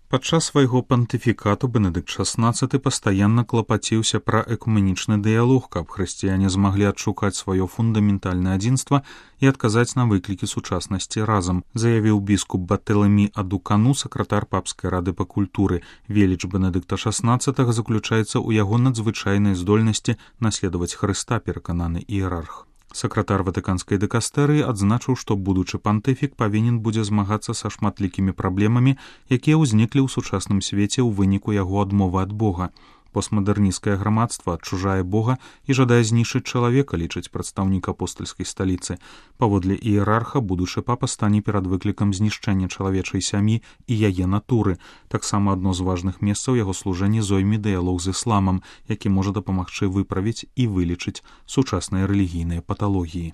Падчас свайго пантыфікату Бенедыкт XVI пастаянна клапаціўся пра экуменічны дыялог, каб хрысціяне змаглі адшукаць сваё фундаментальнае адзінства і адказаць на выклікі сучаснасці разам, заявіў біскуп Бартэлемі Адукану, сакратар папскай рады па культуры. Веліч Бенедыкта XVI заключаецца ў яго надзвычайнай здольнасці наследаваць Хрыста, перакананы іерарх. Сакратар ватыканскай дыкастэрыі адзначыў, што будучы пантыфік павінен будзе змагацца са шматлікімі праблемамі, якія ўзніклі ў сучасным свеце ў выніку яго адмовы ад Бога. Постмадэрнісцкае грамадства адчужае Бога і жадае знішчыць чалавека, лічыць прадстаўнік апостальскай сталіцы. Паводле іерарха будучы папа стане перад выклікам знішчэння чалавечай сям'і і яе натуры. Таксама адно з важных месцаў яго служэння зойме дыялог з ісламам, які можа дапамагчы выправіць і вылечыць сучасныя рэлігійныя паталогіі.